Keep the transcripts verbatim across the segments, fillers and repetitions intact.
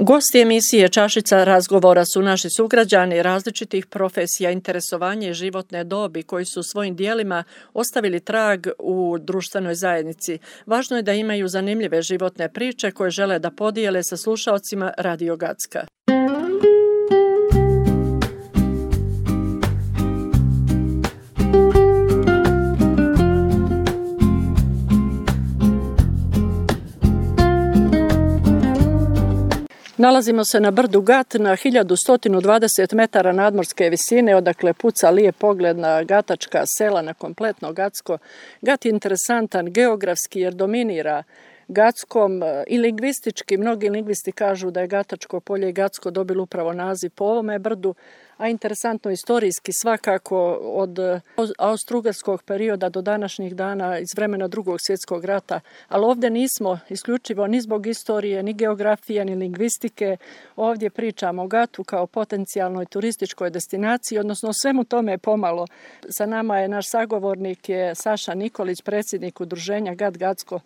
Gosti emisije Čašica razgovora su naši sugrađani različitih profesija, interesovanja i životne dobi koji su svojim dijelima ostavili trag u društvenoj zajednici. Važno je da imaju zanimljive životne priče koje žele da podijele sa slušaocima Radio Gacka. Nalazimo se na brdu Gat na hiljadu sto dvadeset metara nadmorske visine, odakle puca lijep pogled na gatačka sela, na kompletno Gacko. Gat je interesantan geografski jer dominira Gackom i lingvistički. Mnogi lingvisti kažu da je Gatačko polje i Gacko dobilo upravo naziv po ovome brdu, a interesantno istorijski svakako od austrougarskog perioda do današnjih dana iz vremena Drugog svjetskog rata. Ali ovdje nismo isključivo ni zbog istorije, ni geografije, ni lingvistike. Ovdje pričamo o Gatu kao potencijalnoj turističkoj destinaciji, odnosno svemu tome pomalo. Sa nama je naš sagovornik je Saša Nikolić, predsjednik udruženja Gat Gacko.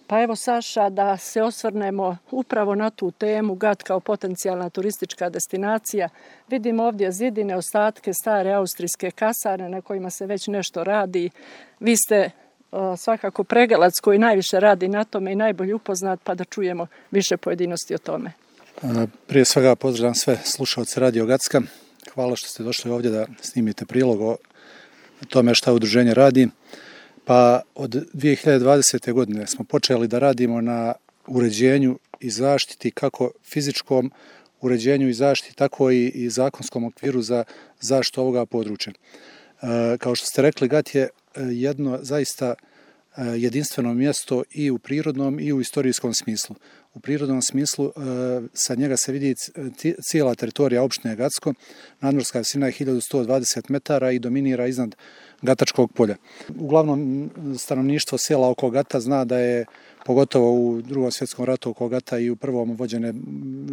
Pa evo Saša, da se osvrnemo upravo na tu temu, Gat kao potencijalna turistička destinacija. Vidimo ovdje zidine, ostatke stare austrijske kasarne na kojima se već nešto radi. Vi ste uh, svakako pregalac koji najviše radi na tome i najbolje upoznat, pa da čujemo više pojedinosti o tome. Prije svega pozdravljam sve slušalce Radio Gacka. Hvala što ste došli ovdje da snimite prilog o tome šta udruženje radi. Pa od dvije hiljade dvadesete. godine smo počeli da radimo na uređenju i zaštiti, kako fizičkom uređenju i zaštiti, tako i, i zakonskom okviru za zaštitu ovoga područja. E, kao što ste rekli, Gat je jedno zaista jedinstveno mjesto i u prirodnom i u istorijskom smislu. U prirodnom smislu e, sa njega se vidi cijela teritorija opštine Gacko, nadmorska visina je hiljadu sto dvadeset metara i dominira iznad Gatačkog polja. Uglavnom stanovništvo sela oko Gata zna da je pogotovo u Drugom svjetskom ratu oko Gata i u prvom vođene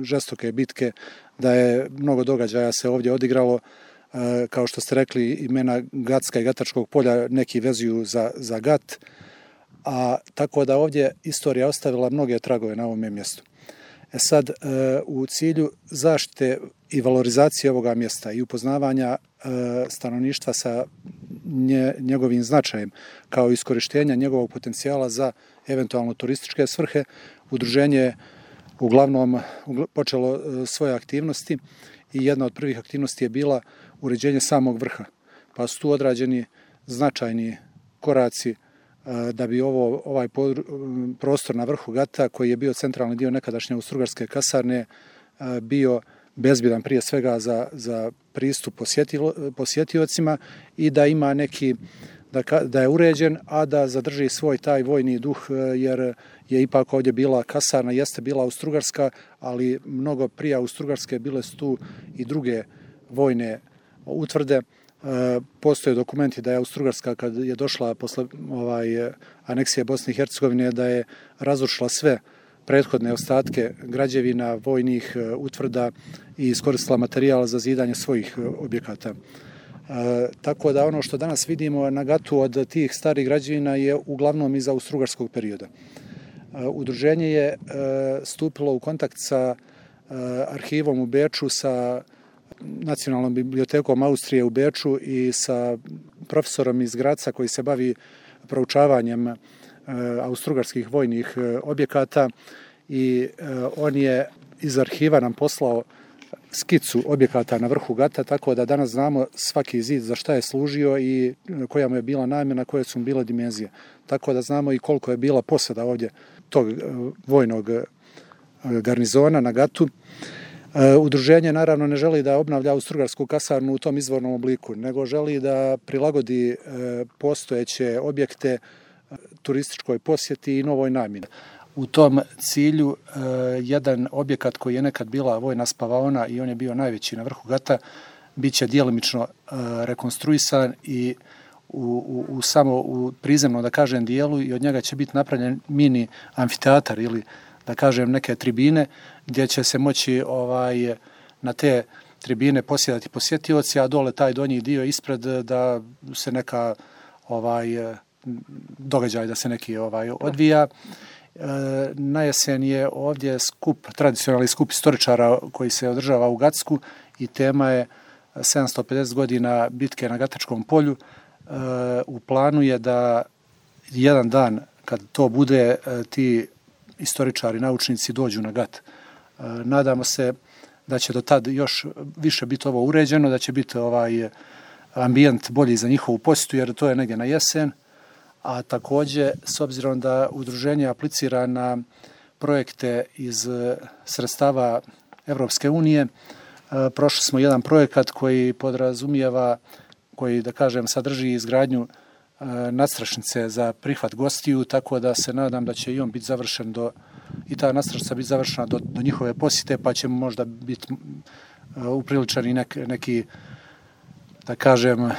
žestoke bitke, da je mnogo događaja se ovdje odigralo. E, kao što ste rekli, imena Gacka i Gatačkog polja neki vezuju za, za Gat, a tako da ovdje istorija ostavila mnoge tragove na ovome mjestu. E sad, e, u cilju zaštite i valorizacije ovoga mjesta i upoznavanja e, stanovništva sa nje, njegovim značajem, kao iskorištenja njegovog potencijala za eventualno turističke svrhe, udruženje je uglavnom počelo e, svoje aktivnosti i jedna od prvih aktivnosti je bila uređenje samog vrha. Pa su tu odrađeni značajni koraci da bi ovo, ovaj prostor na vrhu Gata, koji je bio centralni dio nekadašnje austrougarske kasarne, bio bezbjedan prije svega za, za pristup posjetiocima i da ima neki, da, da je uređen, a da zadrži svoj taj vojni duh, jer je ipak ovdje bila kasarna, jeste bila austrougarska, ali mnogo prije austrougarske bile su tu i druge vojne utvrde. Postoje dokumenti da je Austrougarska, kad je došla posle ovaj, aneksije Bosne i Hercegovine, da je razrušila sve prethodne ostatke građevina, vojnih utvrda i iskoristila materijal za zidanje svojih objekata. E, tako da ono što danas vidimo na Gatu od tih starih građevina je uglavnom iz austrougarskog perioda. E, udruženje je e, stupilo u kontakt sa e, arhivom u Beču, sa Nacionalnom bibliotekom Austrije u Beču i sa profesorom iz Graca koji se bavi proučavanjem e, austrougarskih vojnih e, objekata i e, on je iz arhiva nam poslao skicu objekata na vrhu Gata, tako da danas znamo svaki zid za šta je služio i koja mu je bila namjena, koje su mu bile dimenzije. Tako da znamo i koliko je bila posada ovdje tog e, vojnog e, garnizona na Gatu. Udruženje naravno ne želi da obnavlja austrougarsku kasarnu u tom izvornom obliku, nego želi da prilagodi postojeće objekte turističkoj posjeti i novoj namjeni. U tom cilju jedan objekat koji je nekad bila vojna spavaona i on je bio najveći na vrhu Gata, bit će djelimično rekonstruisan i u, u, u samo u prizemnom, da kažem, dijelu, i od njega će biti napravljen mini amfiteatar ili, da kažem, neke tribine gdje će se moći ovaj, na te tribine posjedati posjetioci, a dole taj donji dio ispred da se neka ovaj, događaj da se neki ovaj, odvija. Na jesen je ovdje skup, tradicionalni skup istoričara koji se održava u Gacku i tema je sedamsto pedeset godina bitke na Gatačkom polju. U planu je da jedan dan kad to bude, ti istoričari, naučnici dođu na Gat. Nadamo se da će do tad još više biti ovo uređeno, da će biti ovaj ambijent bolji za njihovu posjetu, jer to je negdje na jesen. A također, s obzirom da udruženje aplicira na projekte iz sredstava Evropske unije, prošli smo jedan projekat koji podrazumijeva, koji, da kažem, sadrži izgradnju nadstrešnice za prihvat gostiju, tako da se nadam da će i on biti završen do, i ta nadstrešnica biti završena do, do njihove posjete, pa će možda biti upriličan i nek, neki, da kažem,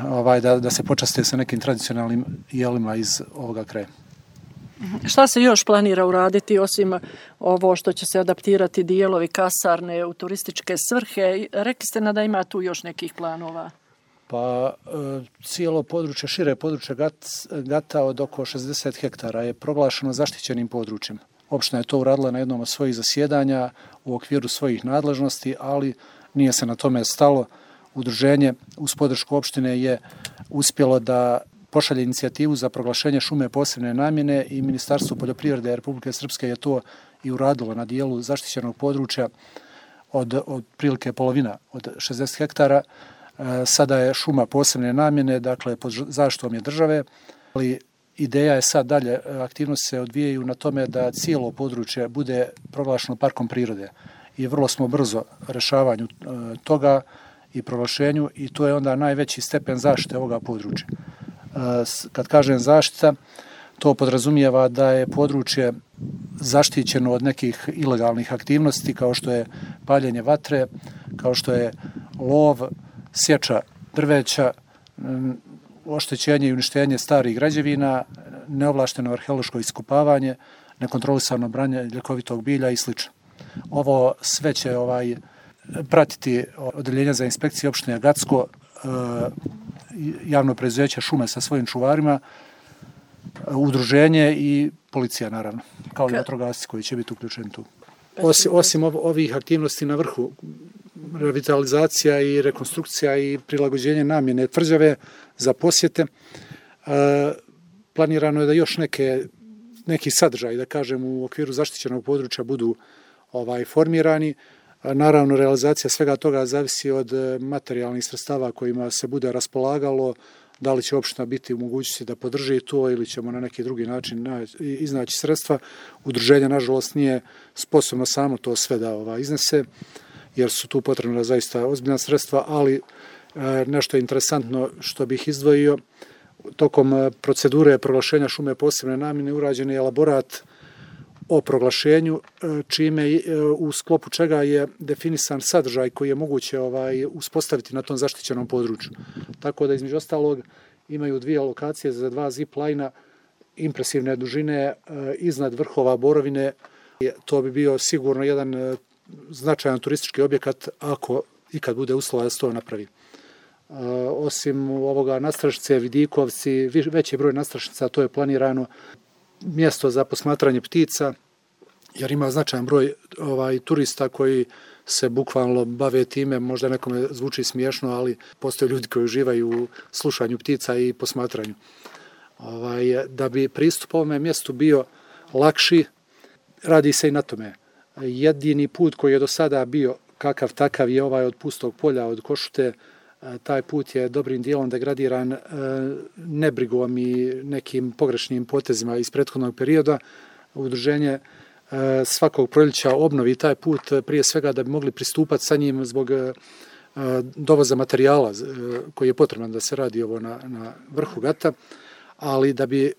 ovaj, da, da se počaste sa nekim tradicionalnim jelima iz ovoga kraja. Šta se još planira uraditi osim ovo što će se adaptirati dijelovi kasarne u turističke svrhe? Rekli ste na da ima tu još nekih planova. Pa cijelo područje, šire područje Gata od oko šezdeset hektara je proglašeno zaštićenim područjem. Opština je to uradila na jednom od svojih zasjedanja u okviru svojih nadležnosti, ali nije se na tome stalo. Udruženje uz podršku opštine je uspjelo da pošalje inicijativu za proglašenje šume posebne namjene i Ministarstvo poljoprivrede Republike Srpske je to i uradilo na dijelu zaštićenog područja od, od prilike polovina od šezdeset hektara. Sada je šuma posebne namjene, dakle pod zaštitom je države, ali ideja je sad dalje, aktivnosti se odvijaju na tome da cijelo područje bude proglašeno parkom prirode i vrlo smo brzo rešavanju toga i proglašenju i to je onda najveći stepen zaštite ovoga područja. Kad kažem zaštita, to podrazumijeva da je područje zaštićeno od nekih ilegalnih aktivnosti kao što je paljenje vatre, kao što je lov, sječa drveća, oštećenje i uništenje starih građevina, neovlašteno arheološko iskopavanje, nekontrolisano branje ljekovitog bilja i sl. Ovo sve će ovaj, pratiti odeljenje za inspekcije opštine Gacko, javno preduzeće šume sa svojim čuvarima, udruženje i policija naravno, kao i vatrogasci koji će biti uključeni tu. Osim, osim ovih aktivnosti na vrhu, revitalizacija i rekonstrukcija i prilagođenje namjene tvrđave za posjete, planirano je da još neke, neki sadržaj, da kažem, u okviru zaštićenog područja budu ovaj, formirani. Naravno, realizacija svega toga zavisi od materijalnih sredstava kojima se bude raspolagalo, da li će opština biti u mogućnosti da podrži to ili ćemo na neki drugi način iznaći sredstva. Udruženje, nažalost, nije sposobno samo to sve da ovaj, iznese, jer su tu potrebna zaista ozbiljna sredstva, ali e, nešto interesantno što bih izdvojio, tokom procedure proglašenja šume posebne namjene urađen je elaborat o proglašenju, čime u sklopu čega je definisan sadržaj koji je moguće ovaj, uspostaviti na tom zaštićenom području. Tako da između ostalog imaju dvije lokacije za dva zip-lajna impresivne dužine iznad vrhova Borovine. To bi bio sigurno jedan značajan turistički objekat ako ikad bude uslova da se to napravi. Osim ovoga nadstrešnice, Vidikovci, veći broj nadstrešnica, to je planirano mjesto za posmatranje ptica, jer ima značajan broj ovaj, turista koji se bukvalno bave time, možda nekome zvuči smiješno, ali postoje ljudi koji uživaju u slušanju ptica i posmatranju. Ovaj, da bi pristup ovome mjestu bio lakši, radi se i na tome. Jedini put koji je do sada bio kakav takav je ovaj od Pustog polja, od Košute. Taj put je dobrim dijelom degradiran nebrigom i nekim pogrešnim potezima iz prethodnog perioda. Udruženje svakog proljeća obnovi taj put prije svega da bi mogli pristupati sa njim zbog dovoza materijala koji je potreban da se radi ovo na, na vrhu Gata, ali da bi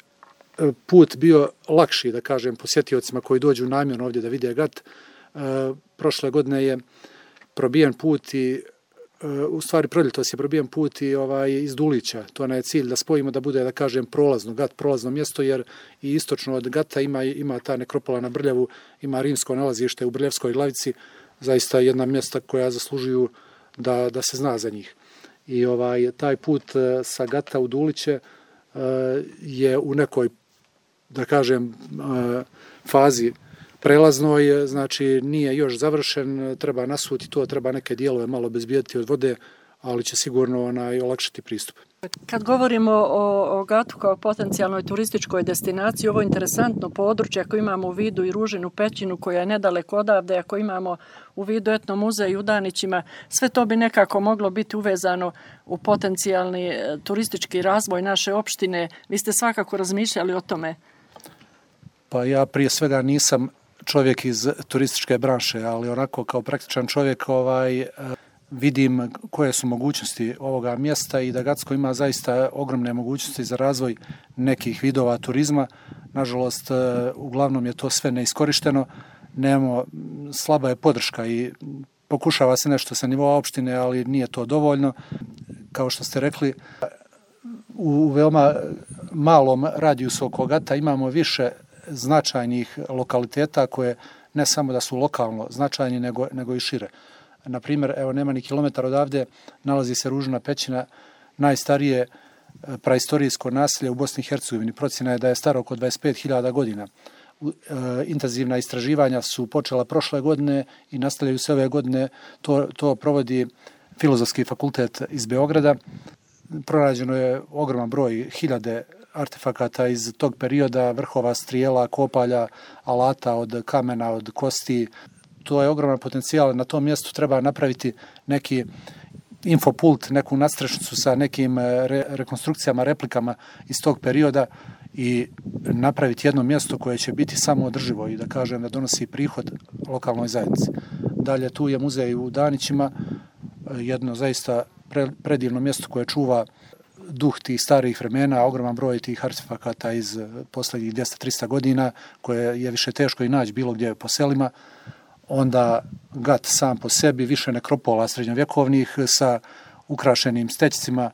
put bio lakši, da kažem, posjetiocima koji dođu namjerno ovdje da vide Gat. Prošle godine je probijen put i u stvari proljetos je probijen put i ovaj, iz Dulića. To je cilj da spojimo da bude, da kažem, prolazno, Gat prolazno mjesto, jer i istočno od Gata ima, ima ta nekropola na Brljavu, ima rimsko nalazište u Brljevskoj glavici, zaista jedna mjesta koja zaslužuju da, da se zna za njih. I ovaj, taj put sa Gata u Duliće je u nekoj da kažem, fazi prelaznoj, znači nije još završen, treba nasuti to, treba neke dijelove malo bezbijediti od vode, ali će sigurno onaj olakšati pristup. Kad govorimo o, o Gatu kao potencijalnoj turističkoj destinaciji, ovo je interesantno područje, ako imamo u vidu i Ružinu pećinu koja je nedaleko odavde, ako imamo u vidu etno muzej u Danićima, sve to bi nekako moglo biti uvezano u potencijalni turistički razvoj naše opštine. Vi ste svakako razmišljali o tome? Pa ja prije svega nisam čovjek iz turističke branše, ali onako kao praktičan čovjek ovaj, vidim koje su mogućnosti ovoga mjesta i da Gacko ima zaista ogromne mogućnosti za razvoj nekih vidova turizma. Nažalost, uglavnom je to sve neiskorišteno, nemamo, slaba je podrška i pokušava se nešto sa nivoa opštine, ali nije to dovoljno. Kao što ste rekli, u veoma malom radijusu oko Gata imamo više značajnih lokaliteta koje ne samo da su lokalno značajni, nego, nego i šire. Na primjer, evo nema ni kilometar odavde, nalazi se Ružina pećina, najstarije praistorijsko naselje u Bosni i Hercegovini. Procjena je da je staro oko dvadeset pet hiljada godina. Intenzivna istraživanja su počela prošle godine i nastavljaju se ove godine. To, to provodi Filozofski fakultet iz Beograda. Pronađeno je ogroman broj, hiljade artefakata iz tog perioda, vrhova strijela, kopalja, alata od kamena, od kosti. To je ogroman potencijal. Na tom mjestu treba napraviti neki infopult, neku nadstrešnicu sa nekim re, rekonstrukcijama, replikama iz tog perioda i napraviti jedno mjesto koje će biti samo održivo i da kažem da donosi prihod lokalnoj zajednici. Dalje tu je muzej u Danićima, jedno zaista pre, predivno mjesto koje čuva duh tih starih vremena, ogroman broj tih artefakata iz posljednjih dvjesto do trista godina koje je više teško i naći bilo gdje po selima. Onda Gat sam po sebi, više nekropola srednjovjekovnih sa ukrašenim stećcima.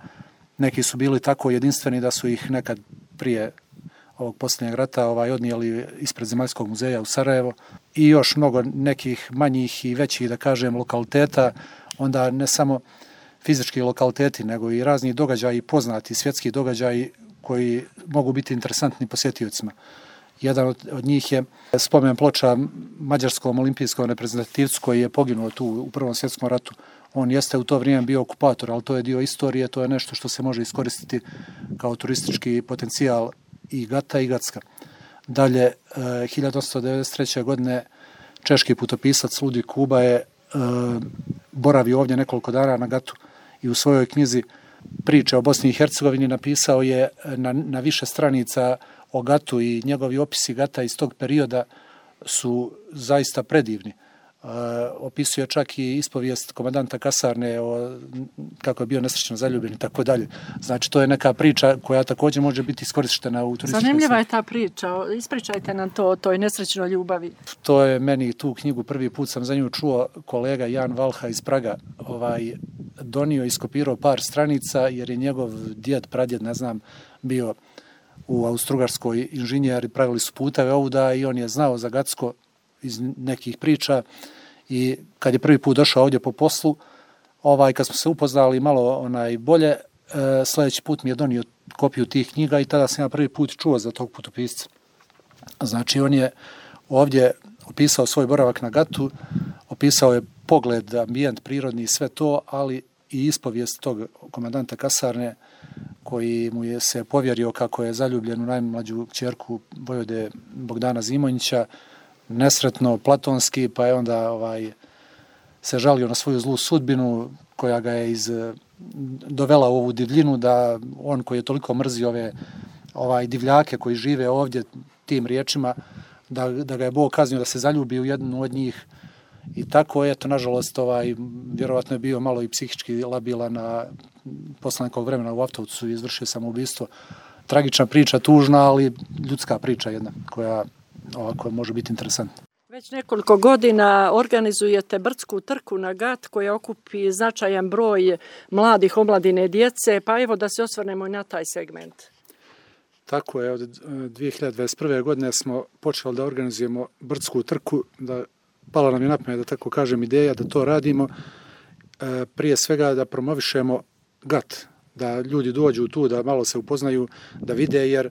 Neki su bili tako jedinstveni da su ih nekad prije ovog posljednjeg rata ovaj, odnijeli ispred Zemaljskog muzeja u Sarajevo. I još mnogo nekih manjih i većih, da kažem, lokaliteta. Onda ne samo fizički lokaliteti, nego i razni događaji, poznati svjetski događaji koji mogu biti interesantni posjetiocima. Jedan od, od njih je spomen ploča mađarskom olimpijskom reprezentativcu koji je poginuo tu u Prvom svjetskom ratu. On jeste u to vrijeme bio okupator, ali to je dio istorije, to je nešto što se može iskoristiti kao turistički potencijal i Gata i Gacka. Dalje, hiljadu osamsto devedeset treće. godine češki putopisac Ludvig Kuba je boravio ovdje nekoliko dana na Gatu i u svojoj knjizi Priče o Bosni i Hercegovini napisao je na, na više stranica o Gatu i njegovi opisi Gata iz tog perioda su zaista predivni. E, opisuje čak i ispovijest komandanta kasarne o kako je bio nesrećno zaljubljen i tako dalje. Znači to je neka priča koja također može biti iskorištena u turističkom. Zanimljiva je ta priča. Ispričajte nam to o toj nesrećnoj ljubavi. To je meni tu knjigu prvi put sam za nju čuo, kolega Jan Valha iz Praga ovaj donio, iskopirao par stranica jer je njegov djed, pradjed, ne znam, bio u Austrougarskoj inženjer i pravili su puteve ovuda i on je znao za Gacko iz nekih priča i kad je prvi put došao ovdje po poslu, ovaj, kad smo se upoznali malo onaj bolje, e, sljedeći put mi je donio kopiju tih knjiga i tada sam ja prvi put čuo za tog putopisca. Znači on je ovdje opisao svoj boravak na Gatu, opisao je pogled, ambijent, prirodni i sve to, ali i ispovijest tog komandanta kasarne koji mu je se povjerio kako je zaljubljen u najmlađu kćerku vojvode Bogdana Zimonjića, nesretno, platonski, pa je onda ovaj, se žalio na svoju zlu sudbinu koja ga je iz, dovela u ovu divljinu da on koji je toliko mrzio ove ovaj, divljake koji žive ovdje tim riječima, da, da ga je Bog kaznio da se zaljubi u jednu od njih. I tako je, to nažalost, ovaj, vjerovatno je bio malo i psihički labilan na posle nekog vremena u Avtovcu i izvršio samoubistvo. Tragična priča, tužna, ali ljudska priča jedna koja ovako može biti interesantna. Već nekoliko godina organizujete brdsku trku na Gat koja okupi značajan broj mladih, omladine, djece, pa evo da se osvrnemo i na taj segment. Tako je, od dvije hiljade dvadeset prve. godine smo počeli da organizujemo brdsku trku, da pala nam je na pamet, da tako kažem, ideja da to radimo, e, prije svega da promovišemo Gat, da ljudi dođu tu, da malo se upoznaju, da vide, jer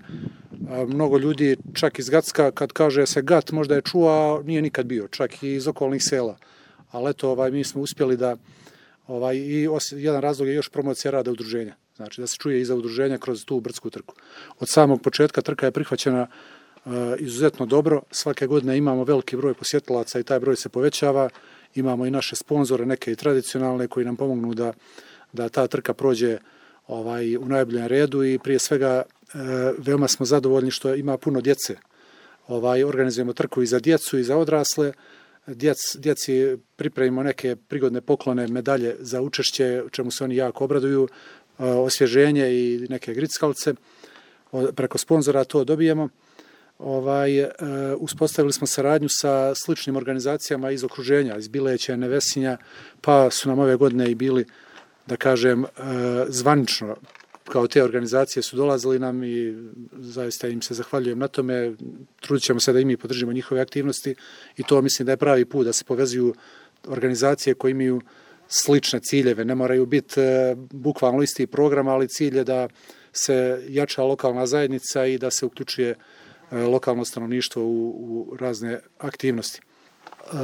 Mnogo ljudi, čak iz Gacka, kad kaže se Gat, možda je čuo, a nije nikad bio, čak i iz okolnih sela. Ali eto, ovaj, mi smo uspjeli da, ovaj, i os, jedan razlog je još promocija rada udruženja. Znači da se čuje iza udruženja kroz tu brdsku trku. Od samog početka trka je prihvaćena uh, izuzetno dobro. Svake godine imamo veliki broj posjetilaca i taj broj se povećava. Imamo i naše sponzore, neke i tradicionalne, koji nam pomognu da, da ta trka prođe ovaj, u najboljem redu i prije svega uh, veoma smo zadovoljni što ima puno djece. Ovaj, organizujemo trku i za djecu i za odrasle. Djec, djeci pripremimo neke prigodne poklone, medalje za učešće, čemu se oni jako obraduju, osvježenje i neke grickalice. Preko sponzora to dobijemo. Ovaj, uspostavili smo saradnju sa sličnim organizacijama iz okruženja, iz Bileća, Nevesinja, pa su nam ove godine i bili, da kažem, zvanično kao te organizacije su dolazili nam i zaista im se zahvaljujem na tome. Trudit ćemo se da i mi podržimo njihove aktivnosti i to mislim da je pravi put da se povezuju organizacije koje imaju slične ciljeve. Ne moraju biti e, bukvalno isti program, ali cilj je da se jača lokalna zajednica i da se uključuje e, lokalno stanovništvo u, u razne aktivnosti. E,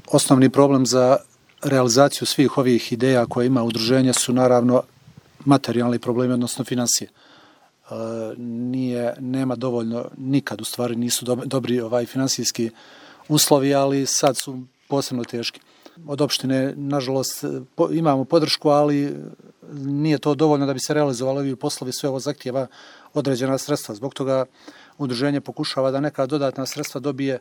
osnovni problem za realizaciju svih ovih ideja koje ima udruženje su naravno materijalni problemi, odnosno financije. E, nije, nema dovoljno, nikad u stvari nisu do, dobri ovaj finansijski uslovi, ali sad su posebno teški. Od opštine, nažalost, po, imamo podršku, ali nije to dovoljno da bi se realizovali ovi poslovi, sve ovo zahtjeva određena sredstva. Zbog toga udruženje pokušava da neka dodatna sredstva dobije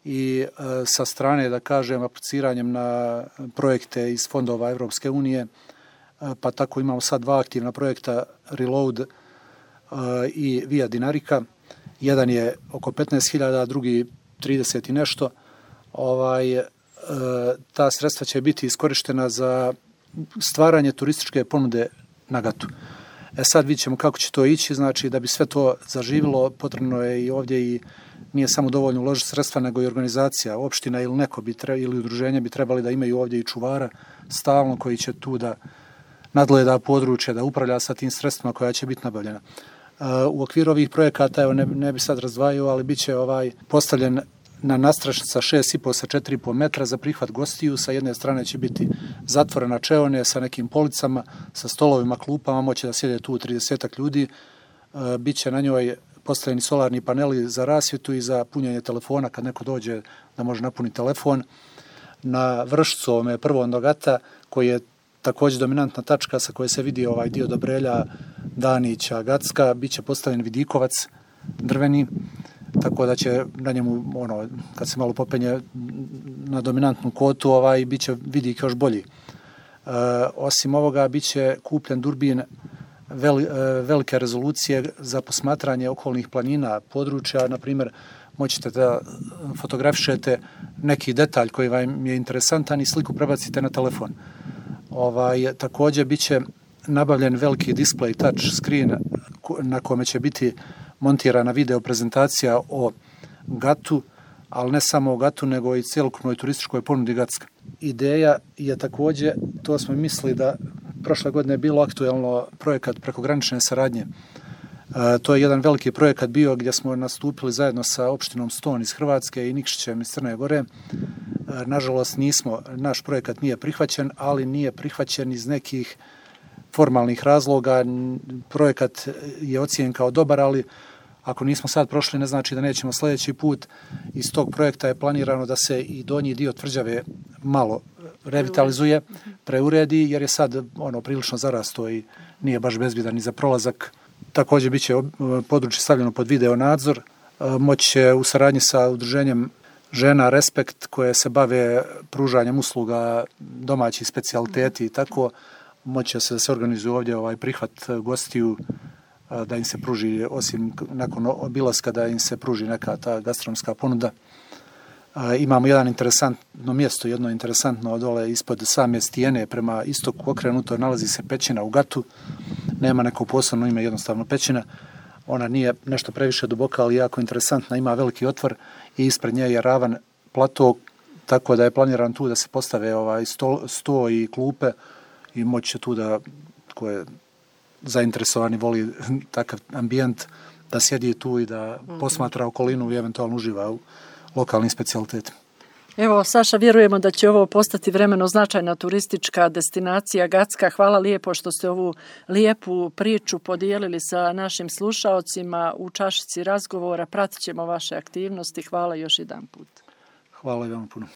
i e, sa strane, da kažem, apliciranjem na projekte iz fondova Evropske unije, pa tako imamo sad dva aktivna projekta Reload uh, i Via Dinarika. Jedan je oko petnaest hiljada, drugi trideset i nešto. Ovaj, uh, ta sredstva će biti iskorištena za stvaranje turističke ponude na Gatu. E sad vidjet ćemo kako će to ići, znači da bi sve to zaživilo, potrebno je i ovdje i nije samo dovoljno uložiti sredstva, nego i organizacija, opština ili neko bi tre, ili udruženje bi trebali da imaju ovdje i čuvara stalno koji će tu da nadgleda područje, da upravlja sa tim sredstvima koja će biti nabavljena. U okviru ovih projekata, evo ne, ne bi sad razdvajao, ali bit će ovaj postavljen na nastrašnica šest i po sa četiri i po metra za prihvat gostiju. Sa jedne strane će biti zatvorena čeone sa nekim policama, sa stolovima, klupama, moće da sjede tu tridesetak ljudi. Biće na njoj postavljeni solarni paneli za rasvjetu i za punjenje telefona kad neko dođe da može napuniti telefon. Na vršcu ovome prvom do Gata, koji je također dominantna tačka sa koje se vidi ovaj dio Dobrelja, Danića, Gacka, bit će postavljen vidikovac drveni, tako da će na njemu, ono, kad se malo popenje na dominantnu kotu, ovaj, bit će vidik još bolji. E, osim ovoga, bit će kupljen durbin vel, velike rezolucije za posmatranje okolnih planina, područja, na primjer, moćete da fotografišete neki detalj koji vam je interesantan i sliku prebacite na telefon. Ovaj, također bit će nabavljen veliki display touch screen na kome će biti montirana video prezentacija o Gatu, ali ne samo o Gatu, nego i cjelokupnoj turističkoj ponudi Gacka. Ideja je također, to smo mislili da prošle godine je bilo aktuelno projekat prekogranične saradnje. E, to je jedan veliki projekat bio gdje smo nastupili zajedno sa opštinom Ston iz Hrvatske i Nikšićem iz Crne Gore. E, nažalost nismo, naš projekat nije prihvaćen, ali nije prihvaćen iz nekih formalnih razloga. Projekat je ocijenjen kao dobar, ali ako nismo sad prošli, ne znači da nećemo sljedeći put. Iz tog projekta je planirano da se i donji dio tvrđave malo revitalizuje, preuredi, jer je sad ono prilično zarasto i nije baš bezbjedan ni za prolazak. Također bit će područje stavljeno pod video nadzor. Moći će u saradnji sa udruženjem Žena Respekt, koje se bave pružanjem usluga domaćih specijaliteti i tako, moći će se da se organizuje ovdje ovaj prihvat gostiju, da im se pruži, osim nakon obilaska, da im se pruži neka ta gastronomska ponuda. Imamo jedan interesantno mjesto, jedno interesantno dole ispod same stijene prema istoku okrenuto, nalazi se pećina u Gatu. Nema neko posebno ime, jednostavno pećina. Ona nije nešto previše duboka, ali jako interesantna, ima veliki otvor i ispred nje je ravan plato, tako da je planiran tu da se postave ovaj sto, sto i klupe i moći će tu da, ko je zainteresovani, voli takav ambijent, da sjedi tu i da posmatra okolinu i eventualno uživa u lokalnim specijalitetima. Evo, Saša, vjerujemo da će ovo postati vremeno značajna turistička destinacija Gacka. Hvala lijepo što ste ovu lijepu priču podijelili sa našim slušaocima u čašici razgovora. Pratit ćemo vaše aktivnosti. Hvala još jedan put. Hvala i vam puno.